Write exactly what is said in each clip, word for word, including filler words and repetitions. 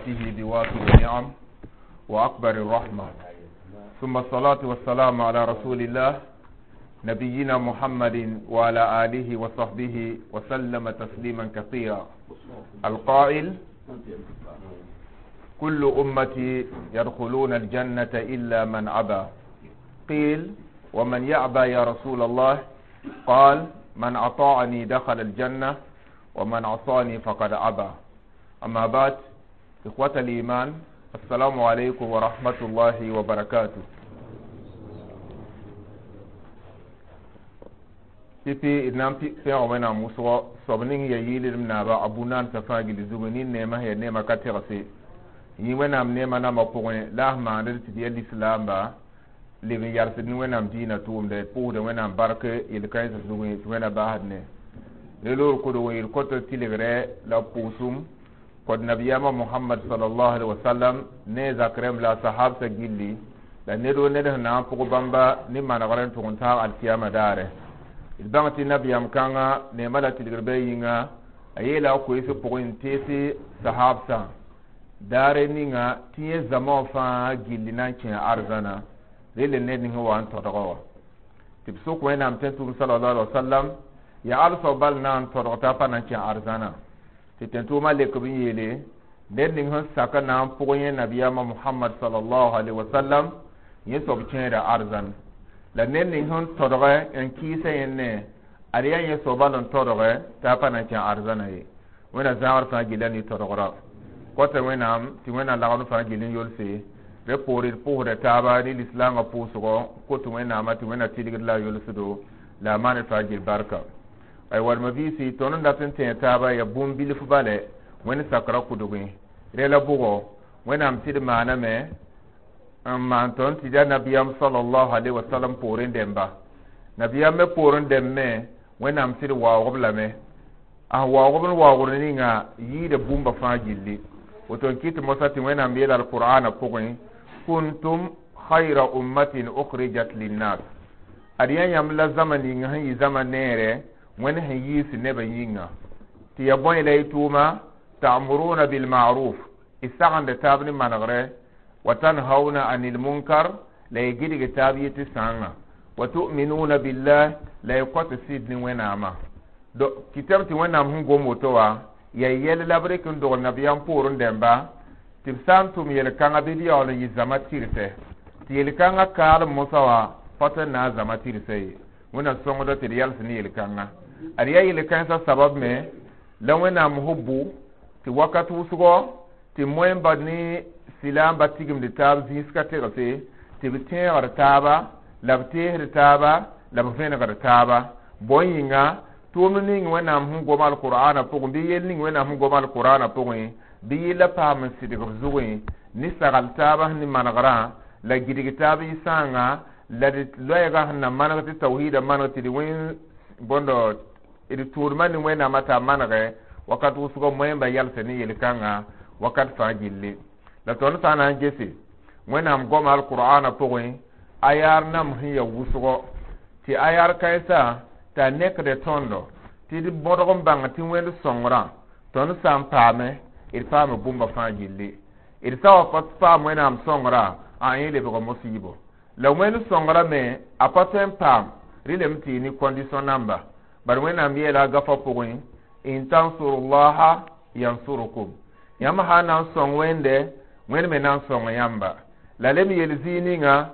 رحمته بوافر النعم وأكبر الرحمة. ثم الصلاة والسلام على رسول الله نبينا محمد وعلى آله وصحبه وسلم تسليما كثيرا. القائل: كل أمتي يدخلون الجنة إلا من أبى. قيل: ومن يأبى يا رسول الله؟ قال: من أطاعني دخل الجنة ومن عصاني فقد أبى. أما بعد، إخوة الإيمان، السلام عليكم ورحمة الله وبركاته. Pipi d na n pẽg wẽnnaam wʋsgɔ soab ning ya yɩɩldem naaba a bu-naansã fãa gill zugu nin neemã ya neemã ka tegse yĩ wẽnnaam neemã nambã pʋgẽ la a sẽn maand tɩ d yaa lislaamba leb n yalsd ne wẽnnaam dĩinã tʋʋmda d pʋʋsda wẽnnaam bark yel-kãensã zugẽ tɩ wẽnna baasd ne ne loor kodg n yel kõt tɩlgrɛ la pʋʋsem kod nabiyaamã Mohamad salallahu alaihi wasallam ne zak rẽmb la a sahabsã gilli la ned wo ned sẽn na n pʋg bãmba ne manegr n tʋg n taag alkiyama daare. D bãng tɩ nabiyaam kãngã neemã la tɩlgr bɩ yĩnga a yeela a koees pʋgẽ n teese sahabsã daare ninga tɩ yẽ zãma wã fãa gilli na n kẽ arzãna rel ned ning wa n tõdga wã tɩ b sʋk wẽnnaam tẽn-tʋʋm salallahu alaihi wasallam yaa alsao bal na n tõdg t'a pa na n kẽ arzãna tɩ tẽn-tʋʋmã lek b n yeele ned ning sẽn sak n na n pʋg yẽ nabiyaamã Mohamad salallahu alaihi wasallam yẽ soab kẽeda arzãn la ned ning sẽn tõdgɛ n kɩɩsã yẽnne ad yaa yẽ soab bal n tõdgɛ t'a pa na n kẽ arzãna ye. Wẽnna zãagr fãa gilla ne tõdgra kɔta wẽnnaam tɩ wẽnnaam lagd fãa gill n yolse rẽ poore d pʋʋsda taaba ne lislaangã pʋʋsgɔ kot wẽnnaamã tɩ wẽnna tɩlgd la a yolsdo la a maan fãa gil barka. Ay warma biisi tõnd n dat n tẽeg taaba yaa bũmb bilf bale wẽnd sakra kʋdgẽ rẽ la bʋgɔ wẽnnaam tɩ d maaname n maan tõnd tɩ yaa nabiyaam salallahu alaihi wasallam poorẽ dẽmba nabiyaam me poorẽ dẽmb me wẽnnaam tɩ d waoog-b lame a sẽn waoog-b n waoogd ninga yɩɩda bũmba fãa gilli woto n kɩt mosã tɩ wẽnnaam yeela alqur'ana pʋgẽ kuntum khayra ummatin ukhrijat linnas ad yaa yãmb la zãma ninga sẽn yɩ zãma neere wẽnd sẽn yiis nebã yĩnga tɩ ya bõe la y tʋʋma ta'muruna bilma'ruf y sagenda taab ne manegre wa tanhauna anil munkar la y gɩdg taab yetɩ sãangã wa tu'minuna billah la y kõt sɩd ne wẽnnaamã kɩtame tɩ wẽnnaam sẽn gom woto wã yaa yɛl la b rɩk n dogl nabiyaam poorẽ dẽmba tɩ b sã n tʋm yel-kãngã bɩ d yaool n yɩ zãma tɩrsɛ tɩ yel-kãngã kaalem mosã wã pa tõe n na n zãma tɩrsɛ ye wẽnnaam sõngda tɩ d yals ne yel-kãngã ad yaa yel-kãensã sabab me la wẽnnaam sẽn bʋ tɩ wakat wʋsgɔ tɩ moẽmba ne silaamba tigimd taab zĩis ka tegse tɩ b tẽegd taaba la b teesd taaba la b vẽnegd taaba bõe yĩnga tʋʋmd ning wẽnnaam sẽn gom alqur'ana pʋgẽ bɩ yell ning wẽnnaam sẽn gom alqur'ana pʋgẽ bɩ yella paam n sɩdg b zugẽ ne sagl taaba sẽn ne manegrã la gidg taab y sãanga la d loɛɛgã sẽn na maneg tɩ tawhiida maneg tɩ d wẽn bõndo d tʋʋdmã ne wẽnnaamã t'a manegɛ wakat wʋsgɔ moẽmba yalsa ne yel-kãngã wakat fãa gilli la tõnd sã n na n gese wẽnnaam goma alqur'ana pʋgẽ a yaar nam sẽn ya wʋsgɔ tɩ a yaar kãensã t'a nekde tõndo tɩ d bõdg n bãng tɩ wẽnd sõngrã tõnd sã n paame d paame bũmba fãa gilli d sã wa pa paam wẽnnaam sõngrã a yẽ lebg mosiibo la wẽnd sõngrã me a pa tõe n paam rɩlem tɩ y ne condition namba bari wẽnnaam yeela a gafã pʋgẽ in tansurullaha yansurukum yãmb sã na n sõng wẽnde wẽnd me na n sõng yãmba la lem yel zĩig ninga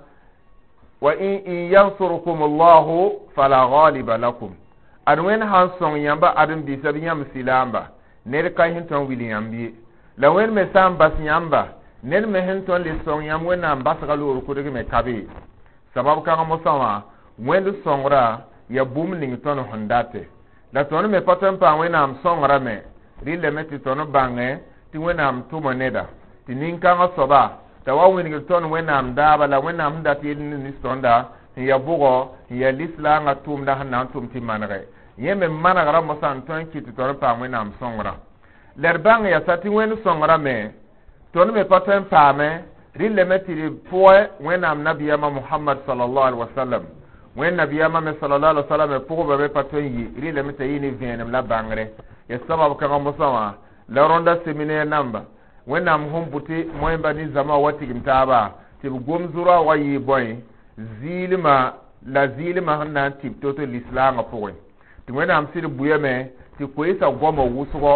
wa in in yansurukum allahu fala ghaliba lakum ad wẽnd sã n sõng yãmba ãdem-biisã bɩ yãmb silaamba ned ka sẽn tõe n wil yãmb ye la wẽnd me sã n bas yãmba ned me sẽn tõe n le sõng yãmb wẽnnaam basga loor kʋdg me ka be sabab kãng mosã wã wẽnd sõngra ya bũmb ning tõnd sẽn date la tõnd me pa tõe n paam wẽnnaam sõngrã me rɩlame tɩ tõnd bãngẽ tɩ wẽnnaam tʋma neda tɩ nin-kãngã soaba t'a wa wĩnigd tõnd wẽnnaam daaba la wẽnnaam sẽn dat yel nis tõnda sẽn ya bʋgɔ sẽn ya lislaangã tʋʋmda sẽn na n tʋm tɩ manegɛ yẽ me manegrã mosã n tõe n kɩt tɩ tõnd paam wẽnnaam sõngrã la d bãng yaa tɩ wẽnd sõngrã me tõnd me pa tõe n paame rɩlame tɩ d pʋgẽ wẽnnaam nabiyaamã Mohamad salallahu alaihi wasallam wẽnd nabiyaamã me salallahu alaihi wasallam me pʋgbã me pa tõe n yi rɩlame t'a yɩ ne vẽenem la bãngre ya sabab kãngã mosã wã la rõnda séminaire namba Wẽnnaam sẽn bʋ tɩ moẽmba ne zãma wa tigim taaba tɩ b gom zʋra wa yɩ bõe zɩɩlmã la zɩɩlmã sẽn na n tɩb to-to lislaangã pʋgẽ tɩ Wẽnnaam sɩd bʋyame tɩ koeesa goamã wʋsgɔ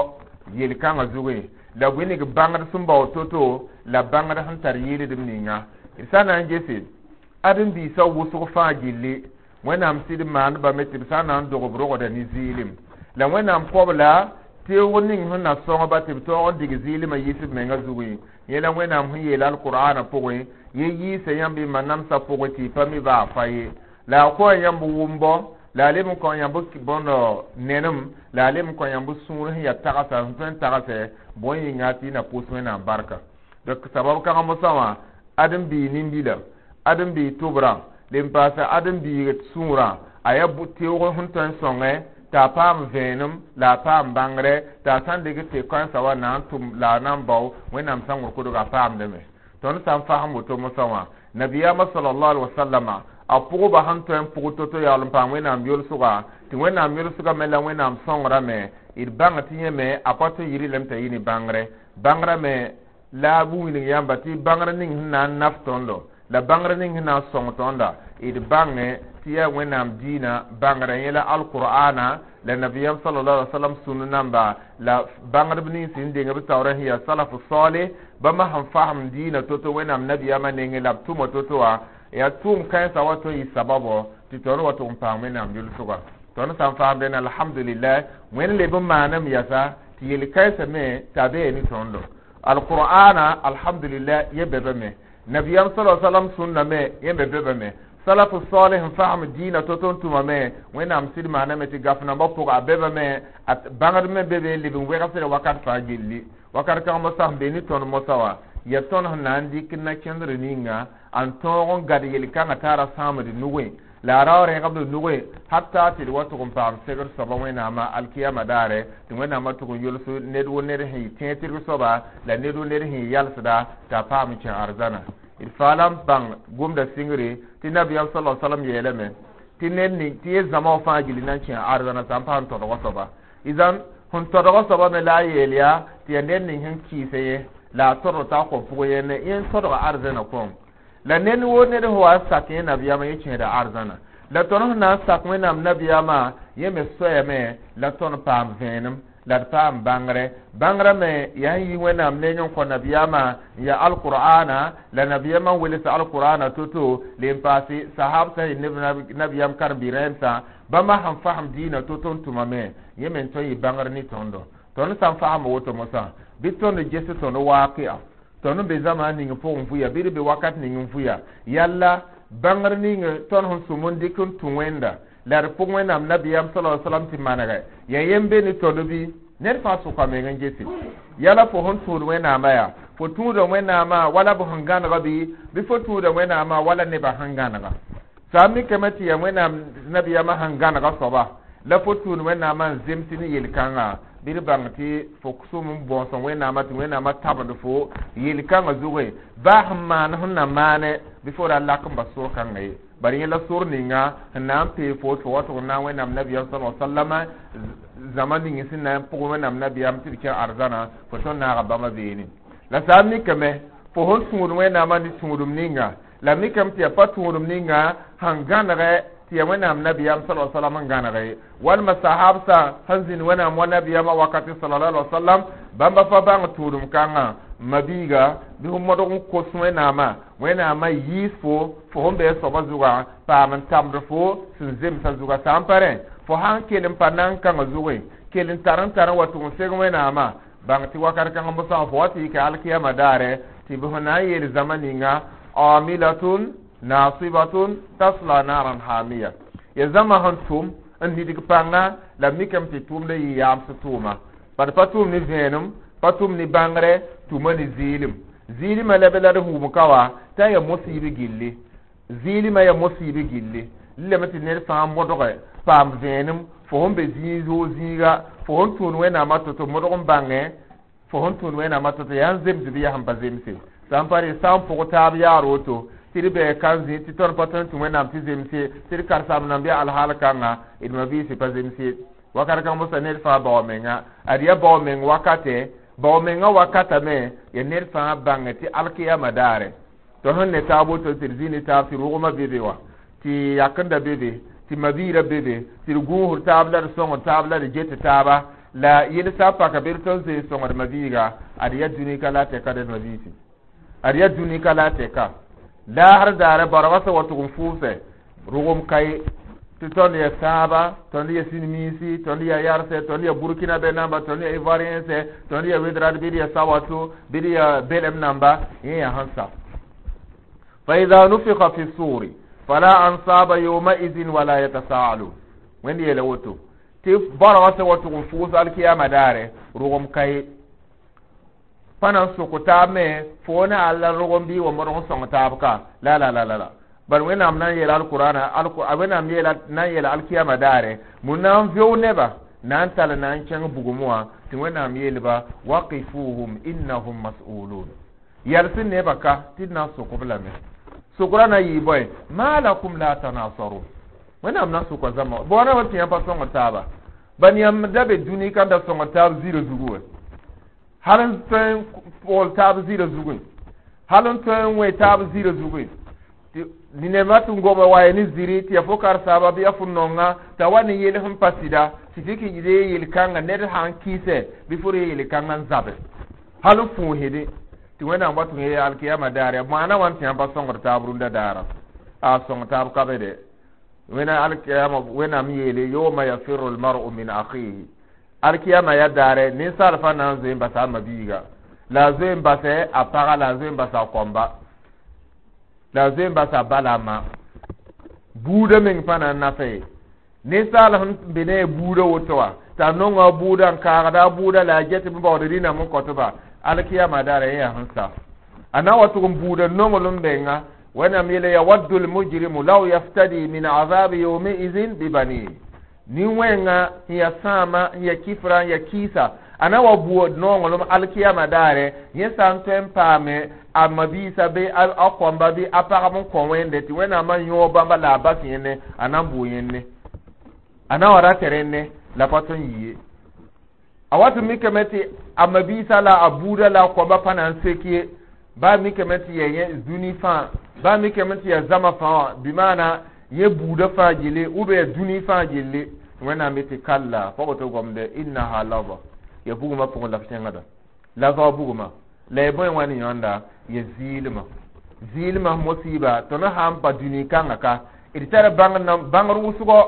yel-kãngã zugẽ la wilg bãngd sẽn bao to-to la bãngd sẽn tar yɩɩldem ninga d sã na n gese ãdem-biisã wʋsg fãa gilli Wẽnnaam sɩd maandbame tɩ b sã n na n dog b rogda ne zɩɩlem la Wẽnnaam kob la teoog ning sẽn na sõngba tɩ b taoog n dig zɩɩlmã yɩs b menga zugẽ yẽ la Wẽnnaam sẽn yeel alqur'ana pʋgẽ ye yiisa yãmb y ma-namsã pʋgẽ tɩ y pa mi baa fa ye la a kõ yãmb wʋmbɔ la a leb n kõ yãmb bõnd nenem la a leb n kõ yãmb sũur sẽn yaa tagsa sẽn tõe n tagsɛ bõe yĩnga tɩ y na pʋs Wẽnnaam barka donc sabab kãngã mosã wã ãdem-biig nin-bila ãdem-biig tʋbrã le n paasa ãdem-biig sũurã a yaa teoog sẽn tõe n sõngẽ t'a paam vẽenem la a paam bãngre t'a sã n dɩk tɩ kãensã wa na n tʋm la a na n bao Wẽnnaam sãngr kodga a paamdame tõnd sã n fasem woto mosã wã nabiyaamã sallallahu alaihi wasallama a pʋgba sẽn tõe n pʋg to-to yaool n paam Wẽnnaam yolsga tɩ Wẽnnaam yolsga me la Wẽnnaam sõngrame d bãng tɩ yẽ me a pa tõe n yɩ lame t'a yɩ ne bãngre bãngrã me la b wilg yãmba tɩ bãngr ning sẽn na n naf tõndo la bãngr ning sẽn na n sõng tõnda d bãnge tɩ yaa Wẽnnaam diinã bãngrã yẽ la alqur'ana la nabiyam sallallahu alaihi wasallam sũn namba la bãngdb nins sẽn deng b taoorã sẽn yaa salafu saleh bãmba sẽn fasem diinã to-to Wẽnnaam nabiyaamã nengẽ la b tʋma to-to wã yaa tʋʋm kãensã wa tõe n yɩ sababo tɩ tõnd wa tʋg n paam Wẽnnaam yʋlsga tõnd sã n fasem dẽn alhamdulillah Wẽnd leb n maaname yasa tɩ yel-kãensã me t'a bee ne tõndo alqur'ana alhamdulillah yẽ be me nabiyam sallallahu alaihi wasallam sũnna me yẽ me be me salafu salih n fasem diinã to-to n tʋma me Wẽnnaam sɩd maaname tɩ gaf nambã pʋga a beba me a bãngd me be be leb n wegsda wakat fãa gilli wakat kãng mosã sẽn be ne tõnd mosã wã ya tõnd sẽn na n dɩk na-kẽndr ninga n tõog n gad yel-kãngã t'a ra sãamd nugẽ la a ra rẽgb nugẽ hatta tɩ d wa tʋg n paam segr soaba Wẽnnaamã alkiyama daare tɩ Wẽnnaamã tʋg n yols ned wo ned sẽn yɩ tẽeg-tɩrg soaba la ned wo ned sẽn yɩ yalsda t'a paam n kẽ arzãna d faala n bãng gomda sɩngre tɩ nabiyaam sala salam yeelame tɩ ned ning tɩ ye zãma wã fãa gilli na n kẽ arzãna sã n paam tõdgã soaba izan sẽn tõdgã soaba me la a yeel yaa tɩ yaa ned ning sẽn kɩɩsɛ yẽ la a tõdg t'a kõ pʋgẽ yẽnde yẽ tõdga arzãna kõm la ned wo ned sẽn wa sak yẽ nabiyaamã yẽ kẽeda arzãna la tõnd sẽn na n sak Wẽnnaam nabiyaamã yẽ me soayame la tõnd paam vẽenem la d paam bãngre bãngrã me yaa n yi Wẽnnaam neng n kõ nabiyaamã n yaa alqur'ana la nabiyaamã n welsa alqur'ana to-to le n paase sahab sã yɩ nabiyaam karen-biig rẽemsã bãmba sẽn fasem diinã to-to n tʋmame yẽ me n tõe n yɩ bãngr ne tõndo tõnd sã n fasem woto mosã bɩ tõnd ges tõnd waaqia tõnd n be zãma ning pʋgẽ vʋya bɩ d be wakat ning n vʋya yalla bãngr ning tõnd sẽn sʋm n dɩk n tũ Wẽnda la d pʋg Wẽnnaam nabiyaam sala salam tɩ manegɛ yaa yem be ne tõnd bɩ ned fãa sʋka meng n gese yala fo sẽn tũud Wẽnnaamã yaa fo tũuda Wẽnnaamã wala b sẽn gãnega bɩ bɩ fo tũuda Wẽnnaamã wala nebã sẽn gãnega sã n mikame tɩ yaa Wẽnnaam nabiyaamã sẽn gãnega soaba la fo tũud Wẽnnaamã n zems ne yel-kãngã bɩ d bãng tɩ fo sʋm n bõos Wẽnnaamã tɩ Wẽnnaamã tabend fo yel-kãngã zugẽ baa sẽn maan sẽn na maane bɩ fo ra lak n bas sor-kãngã ye bari yẽ la sor ninga sẽn na n pee fo tɩ fo wa tʋg n na n Wẽnnaam nabiyaam sala sallama zãma ning sẽn na n pʋg Wẽnnaam nabiyaam tɩ d kẽ arzãna fo tõnd naaga bãmba beene la sã n mikame fo sẽn tũud Wẽnnaamã ne tũudum ninga la mikame tɩ yaa pa tũudum ninga sẽn gãnegɛ tɩ yaa Wẽnnaam nabiyaam sala sallam n gãnege walma sahabsã sẽn zĩnd Wẽnnaam wa nabiyaamã wakati sallallahu alaihi wasallam bãmba pa bãng tũudum kãngã mabiiga bɩ fo modg n kos Wẽnnaamã Wẽnnaamã yiis fo fo sẽn bee soabã zugã paam n tamd fo sẽn zemsã zugã sã n pa rẽ fo sã n kell n pa nan kãngã zugẽ kell n tar n tar n wa tʋg n seg Wẽnnaamã bãng tɩ wakat kãngã mosã fo wa tɩ yɩka alkiyama daare tɩ b sẽn na n yeel zãma ninga amilatun nasibatun tasla naran hamiya ya zãma sẽn tʋm n nidg pãnga la mikame tɩ tʋʋmda yɩ yaams tʋʋma bad pa tʋʋm ne vẽenem pa tʋm ne bãngre tʋma ne zɩɩlem zɩɩlmã la be la d hũum ka wa t'a yaa mosiib gilli zɩɩlmã yaa mosiib gilli lame tɩ ned fãa modge paam vẽenem fo sẽn be zĩig zoog zĩiga fo sẽn tũud Wẽnnaamã to-to modg n bãngẽ fo sẽn tũud Wẽnnaamã to-to yaa n zems bɩ yaa sẽn pa zemse sã n pa re sã n pʋg taab yaar woto tɩ d bɩ kan zĩ tɩ tõnd pa tõe n tũ Wẽnnaam tɩ zemse tɩ d karsam nan bɩ alhaal kãnga d mabiisi pa zemse wakat kãng mosã ned fãa bao menga ad yaa bao meng wakate Bao menga wakata me ya ned fãa bãnge tɩ alkiyama daare tɩ sẽn ne taab woto tɩ d zĩ ne taab tɩ rogmã be be wa tɩ yakenda be be tɩ mabiirã be be tɩ d gũusd taab la d sõngd taab la d get taaba la yelsa paka bɩ d tõnd zoe sõngd mabiiga ad yaa dũni ka la tɛka d mabiisi ad yaa dũni ka la tɛka laasr daare barga sẽn wa tʋg n fʋʋsɛ rogem ka ye tɩ tõnd ya sãaba tõnd ya sinmiinsi tõnd ya yarsɛ tõnd ya burkina bɛ namba tõnd ya ivoiriensɛ tõnd ya wedrad bɩ d ya sawato bɩ d ya belem namba yẽ yaa sẽn sa فإذا نفخ في الصور فلا أنصاب يومئذ ولا يتساءلون wẽnd yeela woto tɩ barga sẽn wa tʋg n fʋʋs alkiyama daare rogem ka ye pa na n sʋk taab me fo ne alla rogem bɩ wa modg n sõng taab ka la la la la la bal wẽnnaam na n yeela alqurana wẽnnaam yeela na n yeela alkiyama daare mu na n veo neba na n tall na n kẽng bugum wã tɩ wẽnnaam yeelba waqifuhum innahum mas'ulun yals neba ka tɩ d na n sʋk b lame sʋkra na yɩ bõe ma lakum la tanasarun wẽnnaam na n sʋka zãma boona wa tɩ yãmb pa sõngd taaba ban yãmb da be dũni ka da sõngd taab zĩrã zugu wɛ hal n tõe n pʋgl taab zĩrã zugẽ hal n tõe n wẽ taab zĩrã zugẽ nema tɩ n goba wa ne ziri tɩ ya fo karsaaba bɩ ya fo nonga t'a wa ne yel sẽn pa sɩda tɩ tɩ kɩ ree yel-kãngã ned sã n kɩɩsɛ bɩ fo ree yel-kãngã n zabe hal n fũusde tɩ wẽnnaam wa tɩ yee alkiyama daare maana wãn tɩ yãmb pa sõngd taab rũndã daara a sõng taab ka be de wẽna alkiyama wẽnnaam yeele yawma yafiru almar'u min akhihi alkiyama ya daare ninsaal fa na n zoe n basa a mabiiga la a zoe n basɛ a paga la a zoe n basa a kõmba la a zoe n basa a ba la a ma buudã meng pa na n nafa ye ninsaal sẽn be ne a buudã woto wã t'a nonga a buudã n kaagda a buudã la a get b baood rĩnam n kõtba alkiyama daara yẽ yaa sẽn sa a na wa tʋg n buudã nonglem menga wẽnnaam yeele yawaddu lmujrimu law yaftadi min azabi yawmaizin bibanihi nin-wẽnga n ya sãama n ya kifra n ya kiisa a na wa buod nonglem alkiyama daare yẽ sã n tõe n paame a mabiisa bɩ a kõmba bɩ a pagb n kõ wẽnde tɩ wẽnnaamã yõog bãmba la a bas yẽnne a na n bʋ yẽnne a na wa rat rẽnne la pa tõe n yi ye a wat n mikame tɩ a mabiisa la a buudã la a kõmba pa na n sek ye baa mikame tɩ ya yẽ dũni fãa baa mikame tɩ ya zãma fãa wã bɩ maana yẽ buudã fãa gilli ou bien ya dũni fãa gilli wẽnnaam be tɩ kalla pa woto gomde innaha lava ya bugmã pʋgẽ la f kẽngda lava bugmã la ya bõe wã ne yõnda ya zɩɩlmã zɩɩlmã mosiiba tõnd sã n pa dũni kãngã ka d tara bãngr wʋsgɔ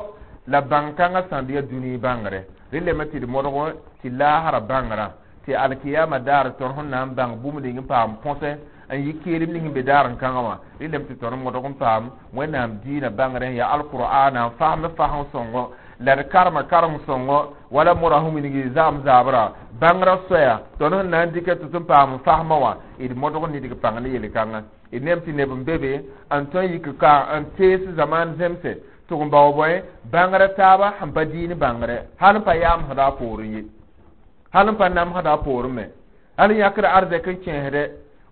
la bãng kãngã sãnd ya dũni bãngre rẽ leme tɩ d modg tɩ laasra bãngrã tɩ alkiyama daar tõnd sẽn na n bãng bũmb ning n paam põsẽ n yɩ keelem ning n be daar n kãngã wã rẽ leme tɩ tõnd modg n paam wẽnnaam diinã bãngrẽ ya alqur'ana n fasem fasem sõngo la d karema karem sõngo wala mora sẽn wilgi zam zaabra bãngrã soaya tõnd sẽn na n dɩka tɩ tɩ n paam fasmã wã d modg n nidg pãng ne yel-kãngã d nem tɩ neb n be be n tõe n yik ka n tees zamaan zemse tʋg n bao bõe bãngrã taaba sẽn pa diin bãngre hal n pa yaamsda a poorẽ ye hal n pa namsda a poorẽ me hal n yãkd arzɛk n kẽesdɛ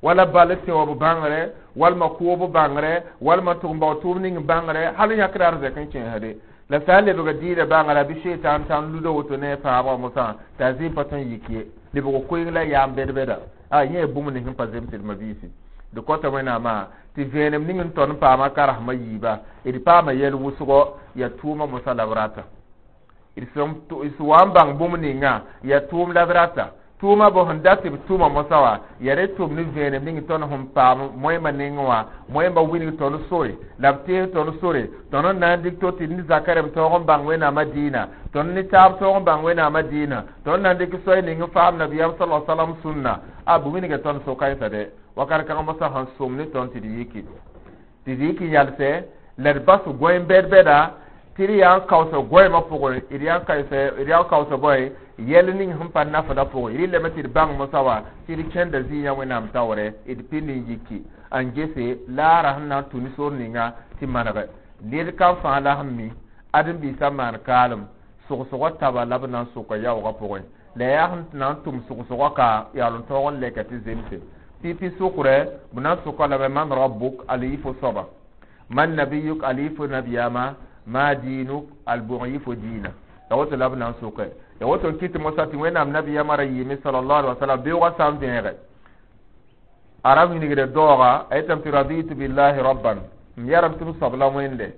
wala bal sẽoob bãngre walma kʋʋb bãngre walma tʋg n bao tʋʋm ning bãngre hal n yãkd arzɛk n kẽesde la sã n lebg diinã bãngrã bɩ shetan tãn luda woto ne a fãabga mosã t'a zĩm pa tõe n yik ye lebg koeng la yaam bɛd-bɛda a yẽ bũmb ning sẽn pa zemsd mabiisi d kõta wẽnnaamã tɩ vẽenem ning n tõnd paama karsmã yiiba d paama yɛl wʋsgɔ ya tʋʋma mosã la b rata d sẽn wa n bãng bũmb ninga ya tʋʋm la b rata tʋʋma bõ sẽn dat tɩ b tʋma mosã wã ya re tʋm ne vẽenem ning tõnd sẽn paam moẽmã nengẽ wã moẽmba wilg tõnd sore la b tees tõnd sore tõnd n na n dɩk to tɩ ne zaka rem tõog n bãng wẽnnaamã dĩinã tõnd ne taab tõog n bãng wẽnnaamã dĩinã tõnd na n dɩk soay ning n faam nabiyaam sala salam sũnna a bʋ wilga tõnd so-kãensã dɛ wakat kãng mosã sẽn sʋm ne tõnd tɩ d yiki tɩ d yik n yalsɛ la d bas goẽ bɛd-bɛda tɩ d yaa n kaoosã goɛɛmã pʋgẽ d yaa n kaoosã d yaa n kaoosã bõe yɛl ning sẽn pa nafdã pʋgẽ rɩlame tɩ d bãng mosã wã tɩ d kẽnda zĩigã wẽnnaam taoorɛ d pĩnd n yiki n gese laara sẽn na n tũ ne sor ninga tɩ manege ned kam fãa la sẽn mi ãdem-biisã maan kaalem sʋgsgã taba la b na n sʋka yaoogã pʋgẽ la yaa sẽn na n tʋm sʋgsgã ka yaool n tõog n lɛka tɩ zemse pipi sʋkrɛ b na n sʋka lame man rabbuk al yɩ fo soaba man nabiyuk al yɩ fo nabiyaama ma dinuk al bʋg yɩ fo diinã la woto la b na n sʋkɛ Ya woto n kɩt mosã tɩ Wẽnnaam nabiyamã ra yɩɩme sallallahu alaihi wasallam beoogã sã n vẽege a ra wilgda daooga, a yetame tɩ raditu billahi rabban, m yarame tɩ m soab la Wẽnde,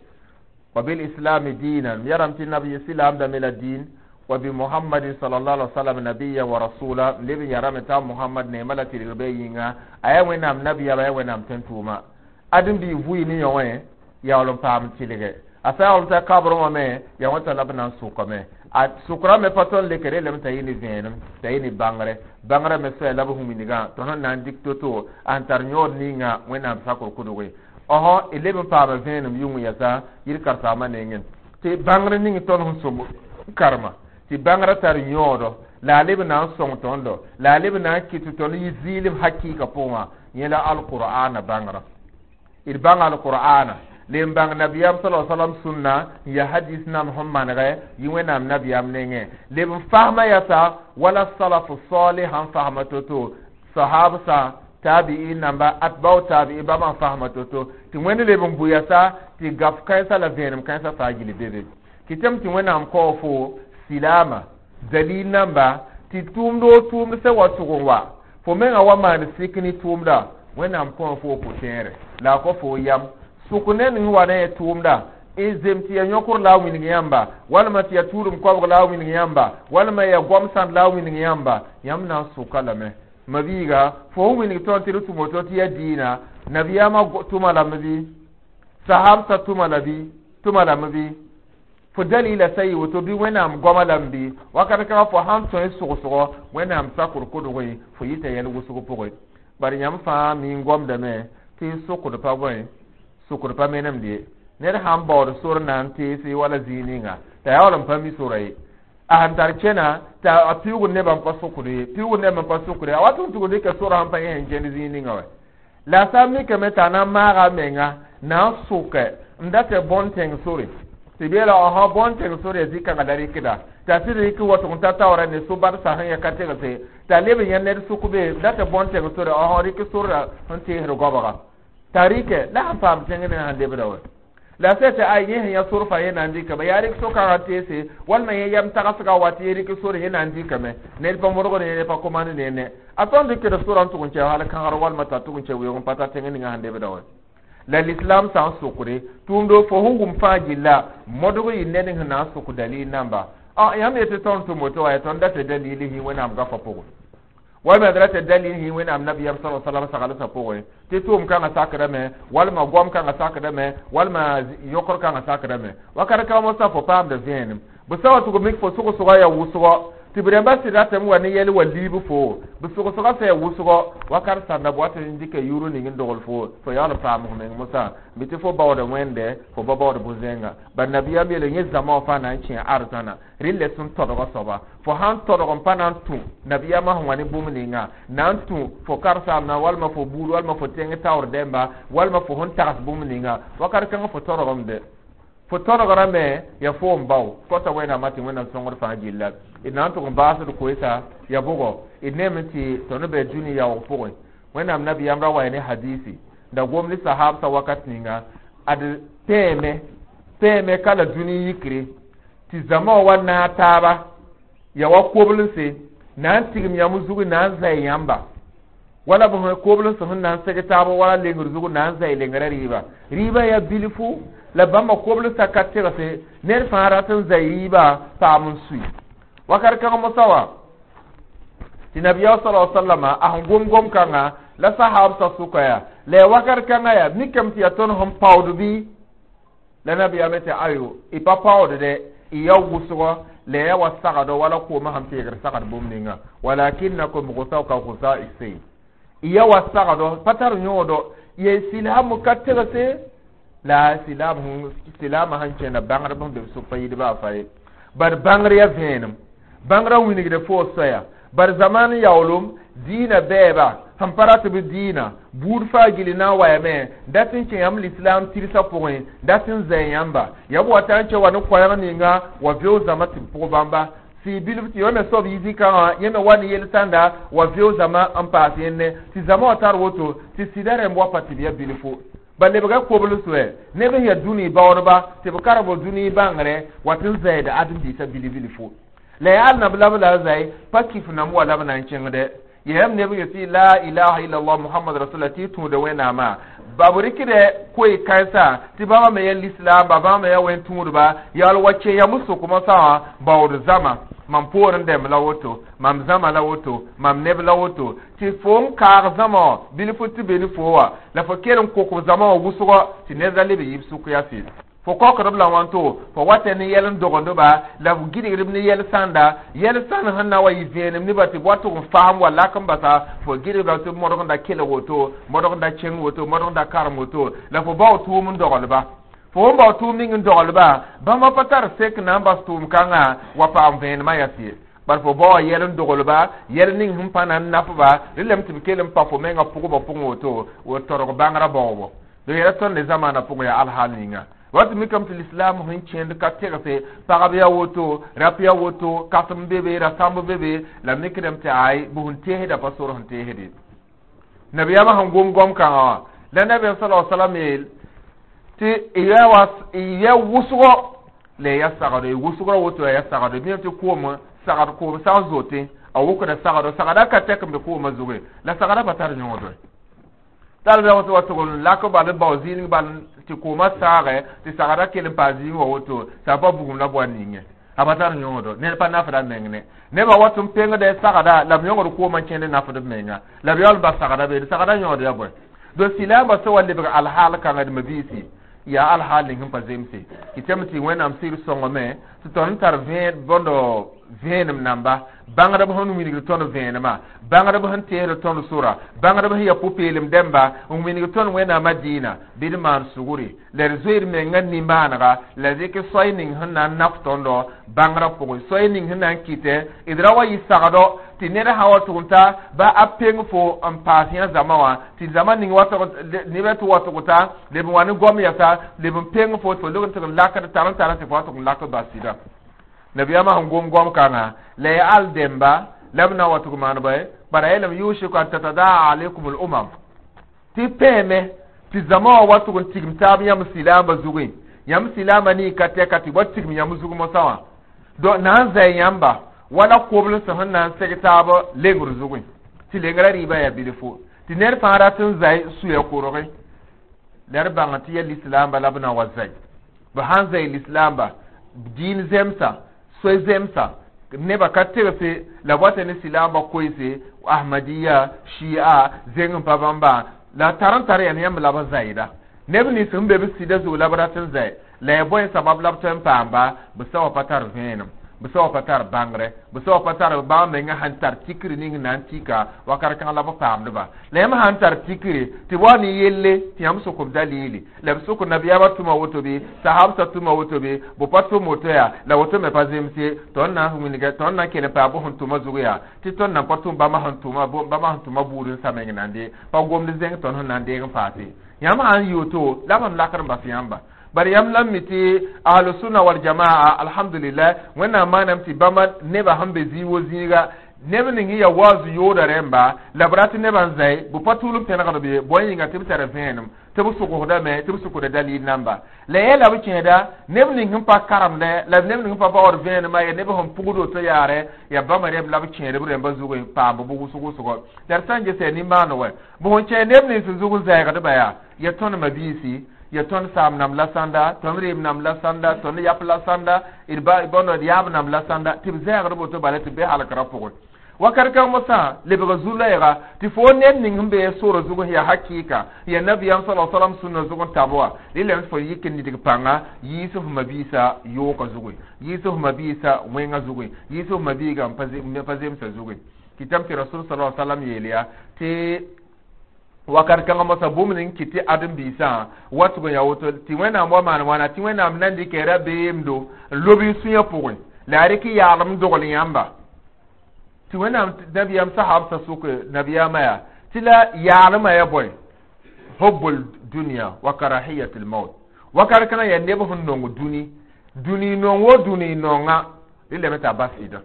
wa bil islami diinan, m yarame tɩ nabi silaamdame la diin, wa bi Muhammadin sallallahu alaihi wasallam nabiyan wa rasula, n leb n yarame t'a Muhammad neema la tɩrg be yĩnga a yaa Wẽnnaam nabiyama, yaa Wẽnnaam tẽn-tʋʋma. Adem bɩ vʋɩ ne yõ wẽ yaool n paam tɩlge a sã yaool t'a kabrẽ wã me yaa wẽta la b na n sʋkame a sʋkrã me pa tõnd lekre lame t'a yɩ ne vẽenem, t'a yɩ ne bãngre, bãngrã me soaya la b huminigã tɩ sẽn na n dɩk to-to a sẽn tar yõod ninga Wẽnnaam sakr kʋdge ɔsõ d leb n paama vẽenem yʋng yɛsa yir karen-saambã nengẽ tɩ bãngr ning tõnd sẽn sõm karema tɩ bãngrã tar yõodo la a leb na n sõng tõndo, la a leb na n kɩt tɩ tõnd yɩ zɩɩlem hakɩɩka pʋgẽ wã. Yẽ la alqur'ana bãngrã, d bãng alqur'ana le n bãng nabiyam sala salam sũnna n ya hadis nam sẽn manegɛ yɩ Wẽnnaam nabiyam nengẽ leb n fasma yasa wala salafu salih sẽn fasma to-to, sahabsã, tabi'in namba, atbau tabi'i bãmb n fasma to-to, tɩ Wẽnd leb n bʋ yasa tɩ gaf kãensã la vẽenem kãensã faa gil bebe. Kɩtame tɩ Wẽnnaam kao fo silaama dalil namba tɩ tʋʋmd o tʋʋmd sã wa tʋg n wa fo menga wa maan sik ne tʋʋmda, Wẽnnaam kõ fo pʋ-tẽere la a kõ fo yam sʋk ned n wa ne tʋʋmda n zem tɩ ya yõkr la a wilg yãmba, walma tɩ ya tuudem koabg la a wilg yãmba, walma ya goam sãnd la a wilg yãmba, yãmb na n sʋka lame. Mabiiga, fo sẽn wilg tõnd tɩ d tʋm woto tɩ ya diina, nabiyaamã tʋma lame bɩ sahabsã tʋma la bɩ tʋma lame bɩ fo dalila sa yɩ woto bɩ Wẽnnaam goama lame bɩ wakat kãngã fo sãn tõe sogsgo Wẽnnaam sakr kʋdge fo yɩta yɛl wʋsg pʋgẽ. Bari yãmb fãa mi n gomdame tɩ sʋkd pa bõe, sʋkd pa menemd ye. Ned sãn baood sor na n teese wala zĩig ninga t'a yaool n pa mi sora ye, a sẽn tar kẽna t'a a piʋʋgd nebã n pa sʋkd ye, piʋʋgd nebã n pa sʋkd ye, a wat n tʋg dɩka sora sẽn pa yẽ sẽn kẽnd zĩig ninga wɛ la a sã n mikame t'a na n maaga a menga na n sʋkɛ n dat bõn-tẽng sore tɩ beela ɔsã bõn-tẽng sore ya zĩ-kãngã la rɩkda t'a sɩd rɩk watg n ta taoora ne so-badsa sẽn ya ka tegse t'a leb n yã ned sʋk be dat bõn-tẽng sore ɔsã rɩk sorda sẽn teesd goabga t'a rɩkɛ la sẽn paam tẽng ning sẽn lebda wɛ la sã tɩ ay yẽ sẽn yã sor fãa yẽ na n dɩkame yaa rɩk so-kãngã teese walma yẽ yam tagsga wa tɩ yẽ rɩk sore yẽ na n dɩkame ned pa modgd ne pa komand nenne a tõnd dɩkd sora n tʋg n kɛ hal kãgr walma t'a tʋg n kɛ weoog n pa ta tẽng ninga sẽn lebda wɛ la l'islam sã n sʋkre tʋʋmdo fo sẽn wʋm fãa gilla modg yɩ ned sẽn na n sʋk dalil namba a yãmb yetɩ tõnd tʋm woto wa tõnd dat dalil sĩ Wẽnnaam gafa pʋgẽ walma d rat dalil sĩ Wẽnnaam nabiyam sa salam saglsã pʋgẽ tɩ tʋʋm kãngã sakdame walma goam kãngã sakdame walma yõkr kãngã sakdame wakat kãngã mosã fo paamda vẽenem bɩ sa wa tʋg mik fo sʋgsgã ya wʋsgɔ tɩ b rãmbã sɩd ratame wa ne yɛl wa liib fo bɩ sʋgsgã sã ya wʋsgɔ wakat sãnda b wat n dɩka yʋʋr ning n dogl fo fo yaool n paam f meng mosã bɩ tɩ fo baooda Wẽnde fo ba baood bʋ-zẽnga bar nabiyam yeele yẽ zãma wã fãa na n kẽ arzãna rɩla sẽn todga soaba fo sãn todg n pa na n tũ nabiyamã sẽn wa ne bũmb ninga na n tũ fo karsaamna walma fo buud walma fo tẽng taoor dẽmba walma fo sẽn tags bũmb ninga wakat kãngã fo todgame fo todgrame ya fo n bao kota Wẽnnaamã tɩ Wẽnnaam sõngd fãa gilla d na n tʋg n baasd koeesa ya bʋgɔ d neeme tɩ tõnd be dũni yaoog pʋgẽ. Wẽnnaam nabiyam ra wa ne hadisi da gom ne sahabsã wakat ninga ad tẽeme tẽeme ka la dũni yikre tɩ zãma wã wa naag taaba ya wa koblense na n tigm yãmb zug na n zay yãmba wala b koblens sẽn na n seg taaba wala lengr zug na n zay lengrã rɩɩba rɩɩba ya bilfu la bãmba koblensã ka tegse ned fãa rat n zay rɩɩba paam n sui wakat kãng mosã wa tɩ nabiya sala sallama a sẽn gom gom kãnga la sahabsã sʋka ya la ya wakat kãngã ya mikame tɩ yaa tõnd sẽn paood bɩ la nabiyaame tɩ ayo y pa paood dɛ y ya wʋsgɔ la ya wa sagdɔ wala koomã sẽn peegr sagd bũmb ninga walakinakum gusau ka gusa isayl y ya wa sagdɔ pa tar yõodo ye silaam ka tegse la silaam silaamã sẽn kẽna bãngr b sẽn be b sʋk pa yɩdba a fa ye bar bãngr ya vẽenem bãngrã wilgda fo soaya bar zaman yaoolem diinã bɛɛba sẽn pa rat b diinã buud faa gilli na n wayame dat n kẽ yãmb lislaam tɩrsa pʋgẽ dat n zay yãmba ya b wata n kẽ wa ne koɛɛg ninga wa veo zãma tɩ b pʋg bãmba sɩ bilf tɩ yõ me soab yɩ zĩ-kãngã yẽ me wa ne yel sãnda wa veo zãma n paas yẽnne tɩ zãma wã tar woto tɩ sɩda rẽmb wa pa tɩ b ya bilfu ba lebga kobl soɛ neb sẽn yaa dũni baoodba tɩ b karb dũni bãngre wat n zɛɛda ãdem-biisã bilf-bilfu La yaa nab la b la a zai pa kif nam wa la b na n kẽngdɛ yɛm neb yetɩ la ilaha illallah muhammad rasulullah tɩ y tũuda wẽnnaamã ba b rɩkdɛ koe kãensã tɩ bãmba me yaa lislaamba bãmba me yaa wẽn-tũudba yaool wa kẽ yãmb sʋkmã sã wã baood zama mam poorẽ dɛmb la woto mam zãma la woto mam neb la woto tɩ fo n kaag zãma wã bilf tɩ be ne fo wã la fo kell n kok b zãma wã wʋsgɔ tɩ ned ra leb n yib sʋk yaa sɩd fo kokdb la wãnto fo wata ne yɛl n dogend-ba la f gɩdgdb ne yɛl sãnda yɛl sãnd sẽn na wa yɩ vẽenem nebã tɩ b wa tʋg n fasem wa lak n basa fo gɩdgda tɩ modgda kelg woto modgda kẽng woto modgda karem woto la fo bao tʋʋm n doglba fo n bao tʋʋm ning n doglba bãmba pa tar sek na n bas tʋʋm kãngã wa paam vẽenemã yaa sɩ bar fo bao yɛl n doglba yɛl ning sẽn pa na n nafba rẽ tɩ b kell n pa fo menga pʋgbã pʋgẽ woto wo torg bãngrã baoobo do yɛla tõnd ne zamaanã pʋgẽ yaa alhaal ninga wat mikame tɩ lislaam sẽn kẽnd ka tegse pagb yaa woto rap yaa woto kasem be be rasãmb be be la mikdame tɩ ay bʋ sẽn teesda pa sor sẽn teesde nabiyaamã sẽn gom goam kãngã wã la nabiyaam sala salam yeel tɩ y yaa wʋsgɔ la ya sagdo y wʋsgrã woto yaa sagdo bɩ tɩ koom sagd koom sã n zote a wʋkda sagdo sagda ka tɛk n be koomã zuge la sagda pa tar yõodre tal bɩ wa tʋg n lak bal n bao zĩig bal tɩ koomã saagɛ tɩ sagda kell n paa zĩig wã woto t'a pa bugum la boa ninge a pa tar yõodo ned pa nafda meng ne nebã wat n pengdɛ sagda la b yõgd koomã kẽnd nafd b menga la b yaool bas sagda beede sagda yõod ya bõe do silaambã sã wa lebg alhaal kãngã d mabiisi yaa alhaal ning sẽn pa zemse kɩtame tɩ wẽnnaam sɩɩr sõngame tɩ tõnd tar bõndo vẽenem namba bãngdb sẽn wilgd tõnd vẽenemã bãngdb sẽn teesd tõnd sora bãngdb sẽn yaa pʋ-peelem dẽmba n wilg tõnd wẽnnaamã dĩinã bɩ d maan sugri la d zoeed mengã nimaanega la dɩk soay ning sẽn na n naf tõndo bãngrã pʋgẽ soay ning sẽn na n kɩtɛ d ra wa yɩ sagdo tɩ ned sã wa tʋg n ta ba a peng fo n paas yã zãma wã tɩ zãma ning nebã tɩ wa tʋg ta leb n wa ne goam yasa leb n peng fo tɩ fo leb n tɩg n lakd tar n tar tɩ fo wa tʋg n lak bas sɩda nabiyaamã sẽn gom goam kãngã la ya al dẽmba la b na wa tʋg maan bõe bara yeelame yushiku an tatadaa alaykum al umam tɩ pẽeme tɩ zãma wã wa tʋg n tigim taab yãmb silaambã zugẽ yãmb silaambã nii ka tɛka tɩ wa tigim yãmb zug mosã wã donc na n zay yãmba wala koblsẽ sẽn na n seg taab lengr zugẽ tɩ lengrã rɩɩbã yaa bilfo tɩ ned fãa rat n zay suya korgẽ la d bãng tɩ yaa lislaamba la b na wa zay b sãn zay lislaamba diin zemsa soy zemsa nebã ka tegse la b wata ne silaamba koeese ahmadiya shia zeng n pa bãmba la tar n tar yaa yãmb la b zayda neb nins sẽn be b sɩda zug la b rat n zay la ya bõe sabab la b tõe n paamba b sã wa pa tar vẽenem b sã wa pa tar bãngrɛ b sã wa pa tar bãmb menga sãn tar tikri ning na n tika wakat kãng la b paamdba la yãmb sãn tar tikre tɩ b wa ne yelle tɩ yãmb sʋk b dalili la b sʋk nabiyaamã tʋma woto bɩ sahabsã tʋma woto bɩ bʋ pa tʋm woto yaa la woto me pa zemse tõnd na n wilga tõnd na n kell n paa bʋ sẽn tʋma zug yaa tɩ tõnd nan pa tʋm bãmba sẽn tʋma bãmba sẽn tʋma buud n sa meng nande pa gomd zẽng tõnd sẽn na n deeg n paase yãmb sãn yɩ woto la b sẽn lakd n bas yãmba bari yãmb la mi tɩ ahlusunna wal jamaa alhamdulillah wẽnnaam maaname tɩ bãmba nebã sẽn be zĩig wo zĩiga neb ning ya waazu yooda rẽmba la b rat nebã n zãe bɩ pa tʋʋl n pẽnegd be bõe yĩnga tɩ b tar vẽenem tɩ b sʋgsdame tɩ b sʋkda dalil namba la yɛla b kẽeda neb ning sẽn pa karemdɛ la neb ning sẽn pa baood vẽenemã ya neb sẽn pugd woto yaarɛ ya bãmba rẽmb la b kẽed b rẽmba zugẽ paam b wʋsg wʋsgɔ la d sã n ges yaa nimbãan wɛ bʋ sẽn kẽ neb nins zug n zɛɛgdba yaa ya tõnd mabiisi ya tõnd saam nam la sãnda tõnd reem nam la sãnda tõnd yap la sãnda d bõnd d yaab nam la sãnda tɩ b zɛɛgd boto bala tɩ be halkrã pʋgẽ wakat kãng mosã lebg zu-loɛɛga tɩ fo ned ning sẽn be sora zug sẽn yaa hakɩɩka ya nabiyaam sala salam sũnã zug n tab wa rɩlame fo yik n nidg pãnga yiis f mabiisã yooka zugẽ yiis f mabiisã wẽngã zugẽ yiis f mabiigã n pa zemsã zugẽ kɩtame tɩ rasul sala salam yeel yaa tɩ wakat kãngã mosã bũmb ning kɩt tɩ ãdem-biisã wa tʋg n yaa woto tɩ wẽnnaam wa maan wãna tɩ wẽnnaam na n dɩka rabeemdo n lob y sũyã pʋgẽ la yaa rɩk yaalem dogl yãmba tɩ wẽnnaam nabiyaam sahabsã sʋk nabiyaamã yaa tɩ la yaalmã ya bõe hubbul dunya wa karahiyatul maut wakat kãngã yaa neb sẽn nong dũni dũni nong wo dũni nonga rɩlame t'a bas sɩda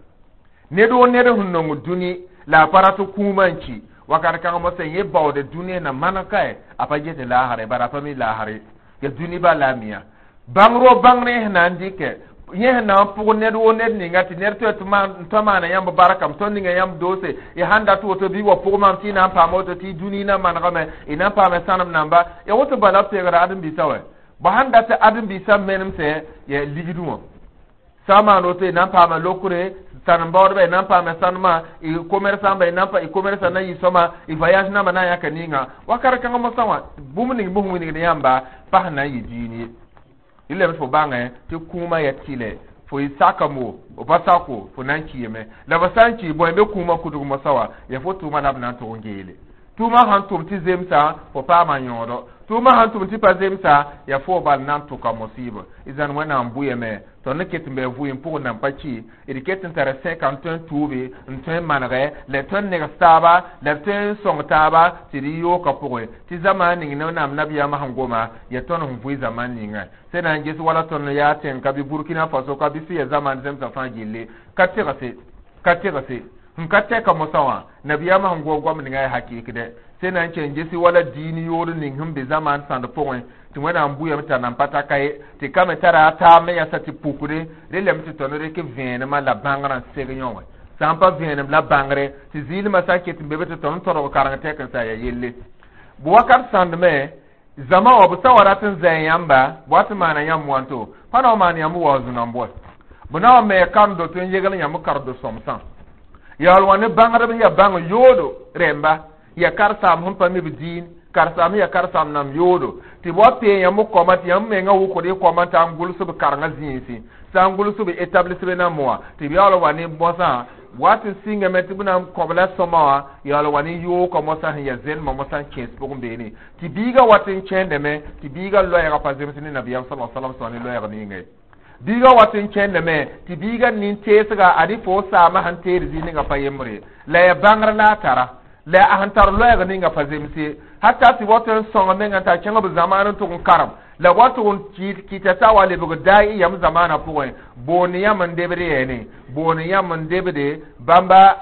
ned wo ned sẽn nong dũni la a pa rat kũumã n ki wakat kãng mosã yẽ baood dũni na maneg kae a pa get laasre bara a pa mi laasre ya dũni ba la a miã bãngr wo bãngr sẽn na n dɩkɛ Yẽ sẽn na n pʋg ned woo ned ninga tɩ ned tõe tɩ maana yãmb barkame, tõnd ninga yãmb doose y sãn dat woto bɩ wa pʋg maam tɩ y na n paama woto tɩ y dũni na manegame, y na n paame sãnem namba ya woto bala b peegda ãdem-biisã wɛ. Bõ sãn dat ãdem-biisã menemsẽ ya ligdẽ wã sã n maan woto, y na n paama lokre sãnem baoodba, y na n paame sãnemã, y commerçant y na n y commerçant na yɩ sõma, y voyage namba na n yãka ninga wakat kãngã mosã wã, bũmb ning bɩ sẽn wilgd yãmba pa sẽn na n yɩ diin ye. Rɩlame fo bãngẽ tɩ kũumã ya tɩlɛ fo y sakamo f pa sako, fo na n kiime la fo sã n ki bõe be kũumã kudg mosã wã ya fo tʋʋma la b na n tʋg n geele. Tʋʋmã sãn tʋm tɩ zemsa, fo paama yõodo. Tʋʋmã sãn tʋm tɩ pa zemsa, ya fo bal na n tʋka mosɩɩbã. Y zãn Wẽnnaam bʋyame tõnd ket n bɩ vʋɩ n pʋgẽ nan pa ki, d ket n tara sẽka n tõe n tuube, n tõe n manegɛ la d tõe n negs taaba, la d tõe n sõng taaba tɩ d yooka pʋgẽ tɩ zamaan ning ne Wẽnnaam nabiyaamã sẽn goma ya tõnd sẽn vʋɩ zaman ninga sẽn na n ges wala tõnd yaa tẽng ka bɩ Burkina Faso ka bɩ sẽn ya zaman zemsã fãa gilli ka tegse ka tegse n ka tɛka mosã wã nabiyaamã sẽn gom goam ninga ya hakɩɩk dɛ sẽn na n ken gesi wala diin yood ning sẽn be zaman sãnd pʋgẽ tɩ Wẽnnaam bʋyame t'a nan pa ta ka ye tɩ ka me tara a taab me yasa tɩ pukde relame tɩ tõnd rɩk vẽenemã la bãngrã n seg yõ wã sã n pa vẽenem la bãngre tɩ zɩɩlmã sã n ket n be be tɩ tõnd n tõdg kareng tɛk n sa ya yelle bʋ wakat sãndme zãma wã b sã wa rat n zã yãmba b wat n maana yãmb wãnto pa na wa maan yãmb wa zũ-nambʋa b na wa me karen-do tɩ n yegl yãmb karen-do sõmsã yaool wã ne bãngdb ya bãng yoodo rẽmba ya karsaam sẽn pa mi b diin karsaam ya karsaam nam yoodo tɩ b wa pee yãmb kɔma tɩ yãmb menga wʋkd y kɔma t'a n gʋls b karengã zĩisi sã n gʋls b établissement nambã wã tɩ b yaool wa ne mosã wat n sɩngame tɩ b na n kõb la sõma wã yaool wa ne yoogã mosã sẽn ya zẽnemã mosã n kẽes pʋgẽ beene tɩ biigã wat n kẽndame tɩ biigã loɛɛgã pa zems ne nabiyaam sala salam sã ne loɛɛg ninga ye biigã wat n kẽndame tɩ biigã nin-teesga ad fo saamã sẽn teed zĩig ninga pa yembre la ya bãngr la a tara la a sẽn tar loɛɛg ninga pa zemse hatta tɩ wat n sõng menga t'a kẽng b zamaan n tʋg n karem la wa tʋg n kɩta t'a wa lebg daai yam zamaanã pʋgẽ boond yãmb n debd yɛɛne boond yãmb n debde bãmba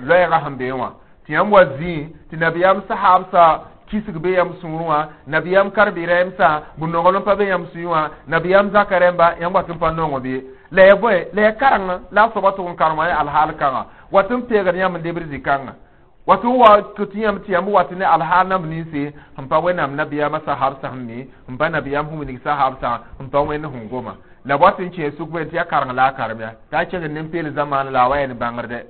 loɛɛgã sẽn bee wã tɩ yãmb wa zĩig tɩ nabiyaam sahaabsã kisg be yãmb sũurẽ wã nabiyaam kar-bɩ-rɛɛmsã b nonglem pa be yãmb sũyẽ wã nabiyaam zaka rẽmba yãmb wat n pa nongo be la ya bõe la ya kareng la a soaba tʋg n karem ya alhaal kãngã wat n peegd yãmb n debd zĩ-kãngã wat n wa tɩ yãmb tɩ yãmb wat ne alhaal namb ninse sẽn pa Wẽnnaam nabiyaamã sahaabsã sẽn mi n pa nabiyaam sẽn wilg sahaabsã n pa Wẽnd sẽn goma la b wat n kẽes sʋk tɩ ya kareng la a karem ya t'a kẽgd nin-peel zamaan la a wa yaa ne bãngrdɛ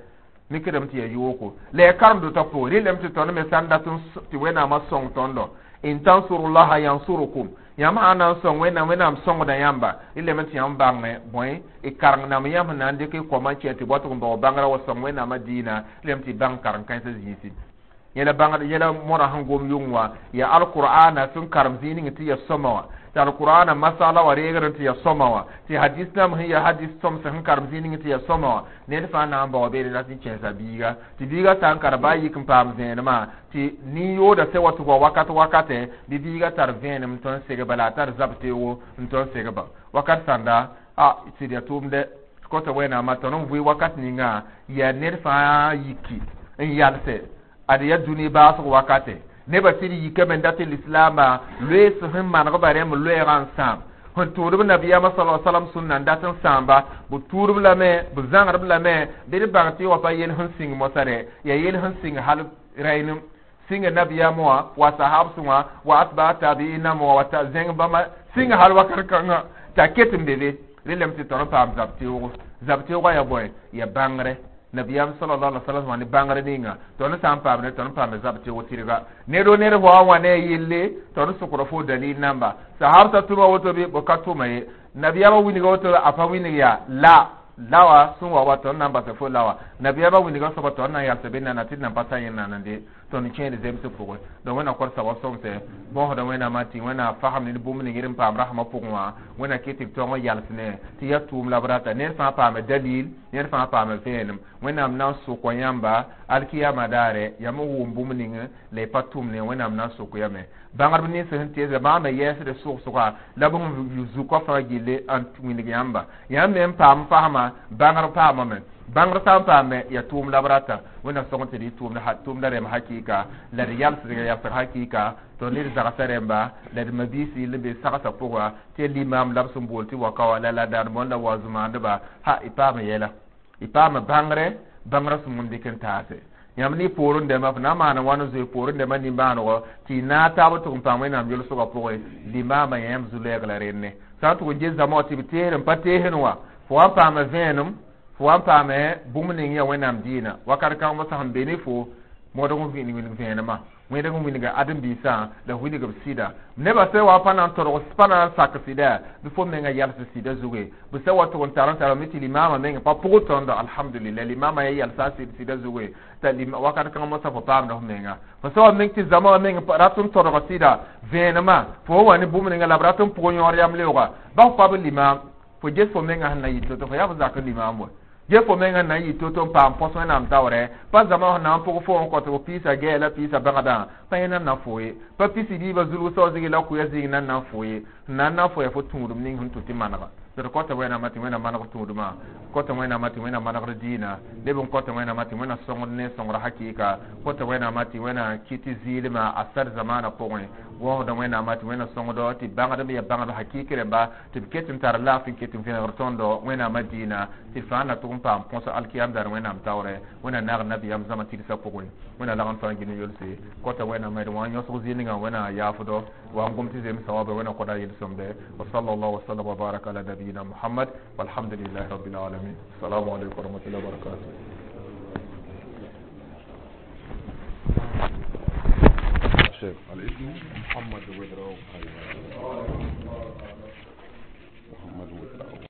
mikdame tɩ ya yooko la ya karem-dotã pʋgẽ rɩlame tɩ tõnd me sã n dat tɩ Wẽnnaamã sõng tõndo in tansurullaha yansurukum yãmb sã n na n sõng Wẽnnaam Wẽnnaam sõngda yãmba rɩlame tɩ yãmb bãngẽ bõe y kareng nam yãmb sẽn na n dɩk y kɔmã n kẽ tɩ bɔtg n bao bãngrã wa sõng Wẽnnaamã diinã rɩlame tɩ y bãng karen-kãensã zĩisi yẽla bãngd yẽla mõra sẽn gom yʋng wã ya alqur'ana sẽn karem zĩig ning tɩ ya sõma wã tɩ alqur'ana masala wã reegr tɩ ya sõma wã tɩ hadis nam sẽn ya hadis sõms sẽn karem zĩig ning tɩ ya sõma wã ned fãa na n bao beene la tɩ kẽesa biiga tɩ biiga sã n kara baa yik n paam vẽenemã tɩ nin-yooda sẽn wa tɩ wa wakat wakatɛ bɩ biiga tar vẽenem n tõe n segba la a tar zab-teoogo n tõe n segba wakat sãnda a sɩd ya tʋʋmdɛ kõta Wẽnnaamã tõnd n vʋɩ wakat ninga yaa ned fãa yiki n yalsɛ ad ya dũni baasg wakate nebã sɩd yikame n dat tɩ lislaambã loees sẽn manegba rẽmb loɛɛgã n sãam sẽn tʋʋdb nabiyaamã sa salam sũnna n dat n sãamba b tuudb lame b zãgdb lame bɩ d bãng tɩ wa pa yel sẽn sĩng mosã rɛ yaa yel sẽn sĩng hal rɛynem sĩnga nabiyaamã wã wa sahabsẽ wã wa atba tabiinam wã wa ta zẽng bãmba sĩnga hal wakat kãngã t'a ket n be be relame tɩ tõnd n paam zab-teoogo zab-teoogã ya bõe ya bãngre nabiyam sallallahu alaihi wasallam wã ne bãngr ninga tõnd sã n paam ne tõnd paam zab teoog tɩrga ned o ned wa wã ne a yelle tõnd sʋkra fo dalil namba sahabsã tʋma woto bɩ b ka tʋma ye nabiyaamã wilga woto a pa wilg yaa la lawa sẽn wa wa tõnd na n basa fo lawa nabiyaamã wilga soaba tõnd na n yalsa be nana tɩ d nan pa sa yẽ nanande tõnd kẽed zemsg pʋgẽ donc Wẽnnaam kõt soaba sõmsɛ bõosda Wẽnnaamã tɩ Wẽnnaam fasem ned bũmb ning d n paam rasmã pʋgẽ wã Wẽnnaam kɩ tɩ b tõng n yals ne tɩ ya tʋʋm la b rata ned fãa paame dalil ned fãa paame vẽenem Wẽnnaam na n sʋk yãmba alkiyama daare yãmb n wʋm bũmb ning la y pa tʋm ne Wẽnnaam na n sʋk yame bãngdb nins sẽn teesda bãmb me yɛɛsd sʋg-sʋga la b sẽn zukã fãa gilli n wilg yãmba yãmb me n paam fasma bãngr paamame. Bãngr sã n paame yaa tʋʋm la b rata wẽnna sõng tɩ d tʋʋmda rẽmb hakɩɩka la d yalsg yalsg hakɩɩka tɩ ned zagsã rẽmba la d mabiisi n be sagsã pʋga tɩ limam la b sẽn bool tɩ waka wã la la dãadbõn la wa zũmaandba ha y paama yɛla y paama bãngre bãngrã sẽn wẽm dɩk n taase yãmb ne poorẽ dɛmba f na n maana wãn n zoe poorẽ dɛmbã nimbãanego tɩ y naag taab tʋg n paam wẽnnaam yʋlsgã pʋgẽ limaamã yãmb zu-lɛɛg la renne sã n tʋg n ges zãma wã tɩ b teesd n pa teesd wã fo wa n paama vẽenem fo wa n paame bũmb ning yaa wẽnnaam dĩinã wakat kãng mosã sẽn be ne fo modg n wilg vẽenemã wẽdg n wilga ãdem-biisã la wilg b sɩda nebã sã wa pa na n todg pa na n sak sɩda bɩ fo menga yals sɩda zuge b sã wa tʋg n tar n tarame tɩ limaamã meng pa pʋgd tõndo alhamdulillah limaamã ya yalsa sɩd sɩda zuge t'a wakat kãng mosã fo paamda f menga fo sã wa meng tɩ zãma wã meng rat n todg sɩda vẽenemã fo wa wa ne bũmb ninga la b rat n pʋg yõor yam leooga ba fo pa b limaam fo ges fo menga sẽn na yɩ to-to fo yaa f zak limaam wa ge fo menga na n yɩ to-to n paam põs wẽnnaam taoorɛ pa zãma sẽn na n pʋg fo n kõt f piisa gɛɛ la piisa bãgdã pa yẽ nan na fo ye pa pisi biibã zulg sao zigi la kʋya zĩig nan na n fo ye n na n na fo ya fo tũudum ning sẽn tũ tɩ manega d kõta wẽnnaamã tɩ wẽnnaam maneg tũudmã kõta wẽnnaamã tɩ wẽnnaam manegd dĩinã leb n kõta wẽnnaamã tɩ wẽnnaam sõngd ne sõngra hakɩɩka kõta wẽnnaamã tɩ wẽnnaam kɩt zɩɩlmã a sar zamaanã pʋgẽ wõsda wẽnnaamã tɩ wẽnnaam sõngdo tɩ bãngdb ya bãngd hakɩɩk rẽmba tɩ b ket n tar laafɩ n ket n vẽegr tõndo wẽnnaamã dĩinã tɩ d fãa na tʋg n paam põs alkiyam daar wẽnnaam taoorɛ wẽnnaam naag nabiyaam zãma tɩgsã pʋgẽ wẽnnaam lag n fãa gini yolse kõta wẽnnaamã d wã yõsg zĩig ninga wẽnnaam yaafdo wa n gom tɩ zems sawaaba wẽnnaam kõda yel-sõmde wa sallallahu wa sallam wa baraka ala nabiyina muhammad walhamdulillahi rabbil alamin assalamu alaikum wa rahmatullahi wa barakatuh الاسم محمد ويدراو.